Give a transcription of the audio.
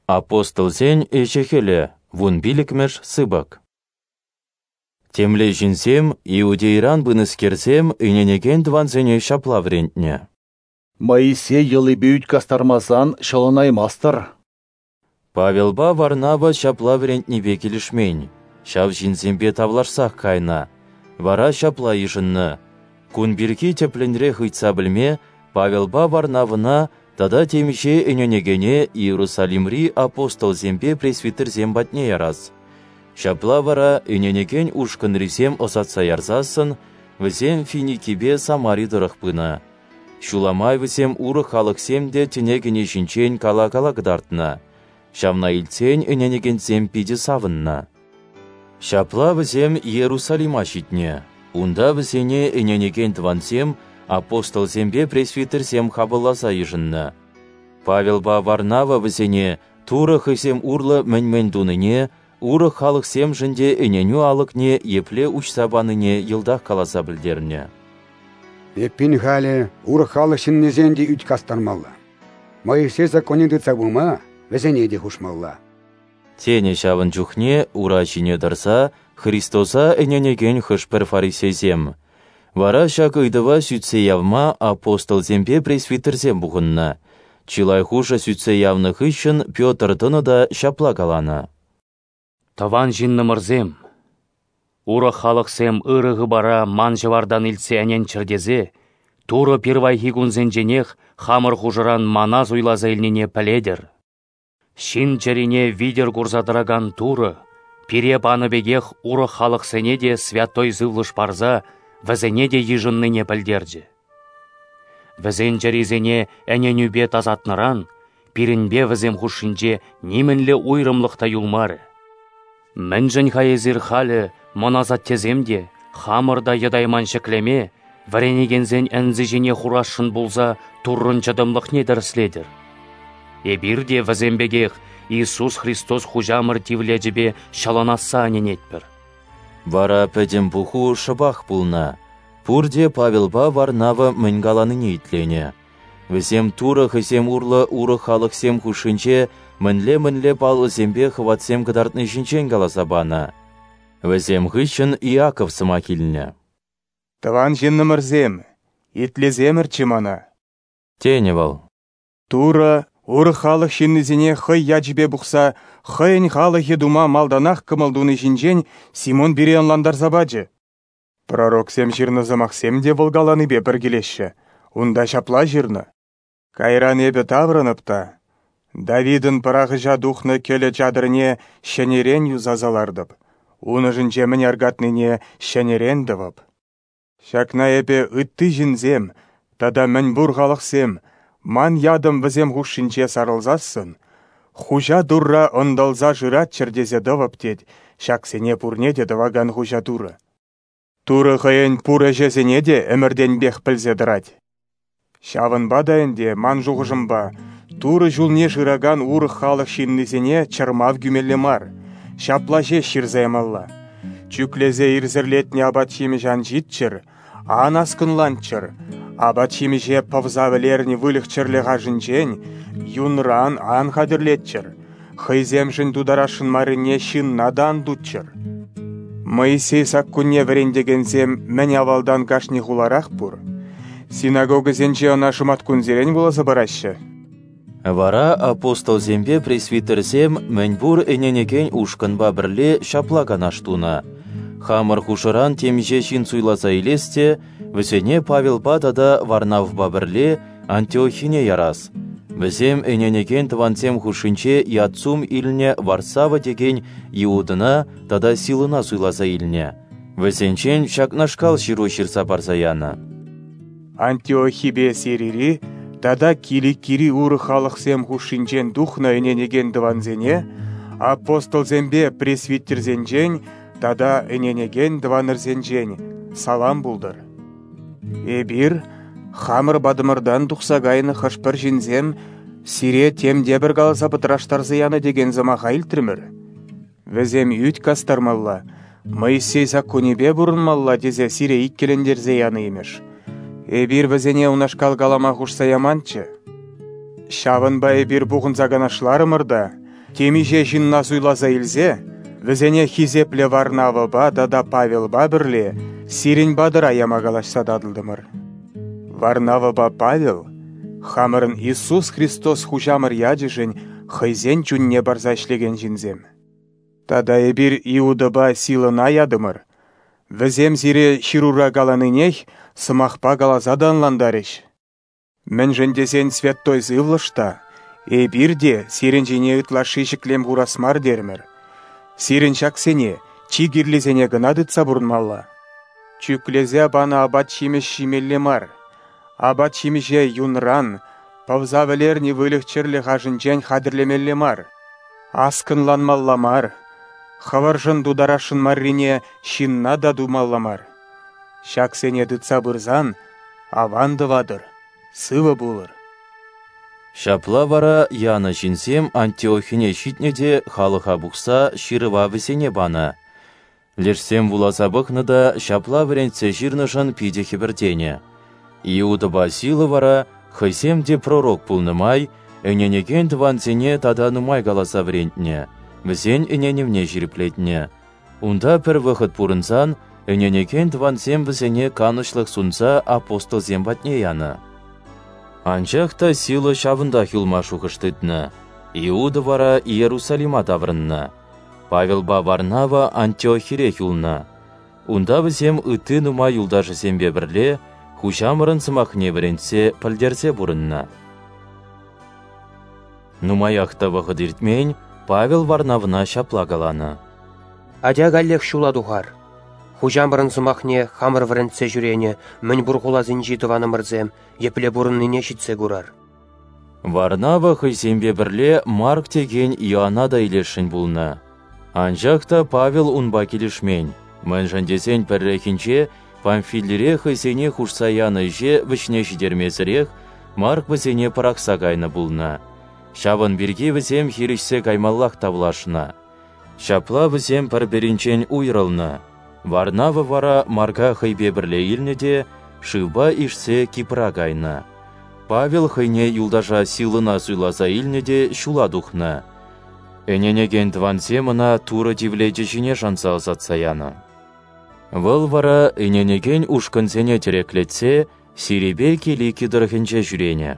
Апостолсен ӗҫӗ-хӗлӗ, вунпиллӗкмӗш сыпӑк. Темле ҫынсем, Иудейӑран пынӑскерсем, ӗненекен тӑвансене ҫапла вӗрентнӗ: Моисей йӑлипе ӳт кастармасан ҫӑлӑнаймастӑр. Павелпа Варнава ҫапла вӗрентнипе килӗшмен, ҫав ҫынсемпе тавлашсах кайнӑ, вара ҫапла йышӑннӑ: кун пирки тӗплӗнрех ыйтса пӗлме Павелпа Варнавӑна тата темиҫе ӗненекене Иерусалимри апостолсемпе пресвитерсем патне ярас. Ҫапла вара ӗненекен ушкӑнрисем ӑсатса ярсассӑн вӗсем Финикипе Самари тӑрӑх пынӑ. Ҫула май вӗсем урӑх халӑхсем те тӗне кӗни ҫинчен кала-кала кӑтартнӑ. Ҫавна илтсен ӗненекенсем питӗ савӑннӑ. Ҫапла вӗсем Иерусалима ҫитнӗ. Унта вӗсене ӗненекен тӑвансем, апостолсемпе пресвитерсем хапӑлласа йышӑннӑ. Павелпа Варнава вӗсене Турӑ хӑйсем урлӑ мӗн-мӗн тунине, урӑх халӑхсемшӗн те ӗненӳ алӑкне епле уҫса панине йӑлтах каласа пӗлтернӗ. Эппин халӗ урӑх халӑх ҫыннисен те ӳт кастармалла. Моисей законне тытса пыма вӗсене те хушмалла. Тенӗ ҫавӑн чухне ура ҫине тӑрса Христоса ӗненекен хӑш-пӗр фарисейсем. Вара ҫак ыйтӑва сӳтсе явма апостолсемпе пресвитерсем пухӑннӑ. Чылай хушӑ сӳтсе явнӑ хыҫҫӑн Петр тӑнӑ та ҫапла каланӑ: Тӑван ҫыннӑмӑрсем, урӑх халӑхсем ырӑ хыпара ман ҫӑвартан илтсе ӗненччӗр тесе Турӑ пирвайхи кунсенченех хамӑр хушӑран мана суйласа илнине пӗлетӗр. Ҫын чӗрине витӗр курса тӑракан Турӑ пире панӑ пекех урӑх халӑхсене те Святой Сывлӑш парса вӗсене те йышӑннине пӗлтерчӗ. Вӗсен чӗрисене ӗненӳпе тасатнӑран пирӗнпе вӗсем хушшинче нимӗнле уйрӑмлӑх та юлмарӗ. Мӗншӗн-ха эсир халӗ мӑн асаттесем те, хамӑр та йӑтайман ҫӗклеме вӗренекенсен ӗнси ҫине хурасшӑн пулса Туррӑн чӑтӑмлӑхне тӗрӗслетӗр? Эпир те вӗсем пекех Иисус Христос Хуҫамӑр тивлечӗпе ҫӑлӑнасса ӗненетпӗр. Вара пӗтӗм пуху шӑпах пулнӑ. Пурте Павелпа Варнава мӗн каланине итленӗ. Вӗсем Турӑ хӑйсем урлӑ урӑх халӑхсем хушшинче мӗнле-мӗнле паллӑсемпе хӑватсем кӑтартни ҫинчен каласа панӑ. Вӗсем хыҫҫӑн Иаков сӑмах илнӗ. Тӑван ҫыннӑмӑрсем, итлесемӗрччӗ мана. Тенӗ вӑл. Турӑ урӑх халӑх ҫыннисене хӑй ячӗпе пухса хӑйӗн халӑхӗ тума малтанах кӑмӑл туни ҫинчен Симон пире ӑнлантарса пачӗ. Пророксем ҫырнӑ сӑмахсем те вӑл каланипе пӗр килеҫҫӗ. Унта ҫапла ҫырнӑ: Кайран эпӗ таврӑнӑп та Давидӑн пӑрахӑҫа тухнӑ кӗлӗ чатӑрне ҫӗнӗрен юсаса лартӑп, ун ӑшӗнче мӗн аркатнине ҫӗнӗрен тӑвӑп. Ҫакна эпӗ ытти ҫынсем тата мӗнпур халӑхсем ман ятӑм вӗсем хушшинче сарӑлсассӑн, Хуҫа Турра ӑнтӑлса шыраччӑр тесе тӑвӑп, тет ҫаксене пурне те тӑвакан Хуҫа Турӑ. Турӑ хӑйӗн пур ӗҫӗсене те ӗмӗртенпех пӗлсе тӑрать. Ҫавӑнпа та ӗнтӗ, ман шухӑшӑмпа, Турӑ ҫулне шыракан урӑх халӑх ҫыннисене чӑрмав кӳмелле мар, ҫапла ҫеҫ ҫырса ямалла. Чӳклесе ирсӗрлетнӗ апат-ҫимӗҫ ан ҫиччӗр, ан аскӑнланччӑр, апат-ҫимӗҫе пӑвса вӗлернӗ выльӑх-чӗрлӗх ашӗнчен, юнран ан хатӗрлетчӗр, хӑйсемшӗн тутарасшӑн маррине ҫынна та ан туччӑр. Моисей саккунне вӗрентекенсем мӗн авалтан кашни хуларах пур. Синагогӑсенче ӑна шӑматкунсерен вуласа параҫҫӗ. Вара апостолсемпе пресвитерсем мӗнпур ӗненекен ушкӑнпа пӗрле ҫапла канаш тунӑ: хамӑр хушӑран темиҫе ҫын суйласа илес те вӗсене Павелпа тата Варнавпа пӗрле Антиохине ярас. Вӗсем ӗненекен тӑвансем хушшинче ят-сум илнӗ Варсава текен Иудӑна тата Силӑна суйласа илнӗ. Вӗсенчен ҫакнашкал ҫыру ҫырса парса янӑ: Антиохипе Сирири тата Киликири урӑх халӑхсем хушшинчен тухнӑ ӗненекен тӑвансене апостолсемпе пресвитерсенчен тата ӗненекен тӑванӑрсенчен салам пултӑр. Эпир хамӑр патӑмӑртан тухса кайнӑ хӑш-пӗр ҫынсем сире тем те пӗр каласа пӑтраштарса янӑ текен сӑмаха илтрӗмӗр. Вӗсем ӳт кастармалла, Моисей саккунӗпе пурӑнмалла тесе сире иккӗлентерсе янӑ имӗш. Эпир вӗсене унашкал калама хушса яманччӗ. Ҫавӑнпа эпир пухӑнса канашларӑмӑр та. Темиҫе ҫынна суйласа илсе, вӗсене хисеплӗ Варнавӑпа тата Павелпа пӗрле сирӗн патӑра яма калаҫса татӑлтӑмӑр. Варнавӑпа Павел хамӑрӑн Иисус Христос Хуҫамӑр ячӗшӗн хӑйсен чунне парса ӗҫлекен ҫынсем. Тата эпир Иудӑпа Силӑна ятӑмӑр. Вӗсем сире ҫырура каланинех сӑмахпа каласа та ӑнлантарӗҫ. Мӗншӗн тесен Святой Сывлӑш та, эпир те сирӗн ҫине ытлашши ҫӗклем хурас мар терӗмӗр. Сирӗн ҫаксене, чи кирлисене кӑна тытса пурӑнмалла. Чӳклесе панӑ апат-ҫимӗҫ ҫимелле мар. Апат-ҫимӗҫе юнран, пӑвса вӗлернӗ выльӑх-чӗрлӗх ашӗнчен хатӗрлемелле мар. Аскӑнланмалла мар. Хӑвӑршӑн тутарасшӑн маррине ҫынна та тумалла мар. Ҫаксене тытса пырсан аван тӑватӑр, сывӑ пулӑр. Ҫапла вара янӑ ҫынсем Антиохине ҫитнӗ те халӑха пухса ҫырӑва вӗсене панӑ. Лешсем вуласа пӑхнӑ та ҫапла вӗрентсе ҫырнӑшӑн питӗ хӗпӗртенӗ. Иудӑпа Сила вара хӑйсем те пророк пулнӑ май ӗненекен тӑвансене тата нумай каласа вӗрентнӗ, вӗсен ӗненӗвне ҫирӗплетнӗ. Унта пӗр вӑхӑт пурӑнсан ӗненекен тӑвансем вӗсене канӑҫлӑх сунса апостолсем патне янӑ. Анчах та Сила ҫавӑнтах юлма шухӑш тытнӑ. Иуда вара Иерусалима таврӑннӑ. Павелпа Варнава Антиохирех юлнӑ. Унта вӗсем ытти нумай юлташӗсемпе пӗрле Хуҫамӑрӑн сӑмахне вӗрентсе, пӗлтерсе пурӑннӑ. Нумаях та вӑхӑт иртмен, Павел Варнавӑна ҫапла каланӑ: Атя каллех ҫула тухар. Хуҫамӑрӑн сӑмахне хамӑр вӗрентсе ҫӳренӗ мӗн пур хуласенчи тӑванӑмӑрсем епле пурӑннине ҫитсе курар. Варнава хӑйсемпе пӗрле Марк текен Иоанна та илесшӗн пулнӑ. Анчах та Павел унпа килӗшмен, мӗншӗн тесен пӗррехинче Памфилире хӑйсене хушса янӑ ӗҫе вӗҫне ҫитермесӗрех Марк вӗсене пӑрахса кайнӑ пулнӑ. Ҫавӑн пирки вӗсем хирӗҫсе каймаллах тавлашнӑ. Ҫапла вӗсем пӗр-пӗринчен уйрӑлнӑ. Варнава вара Марка хӑйпе пӗрле илнӗ те шывпа ишсе Кипра кайнӑ. Павел хӑйне юлташа Силӑна суйласа илнӗ те ҫула тухнӑ. Ӗненекен тӑвансем ӑна Турӑ тивлечӗ ҫине шанса ӑсатса янӑ. Вӑл вара ӗненекен ушкӑнсене тӗреклетсе Сирипе Килики тӑрӑхӗнче ҫӳренӗ.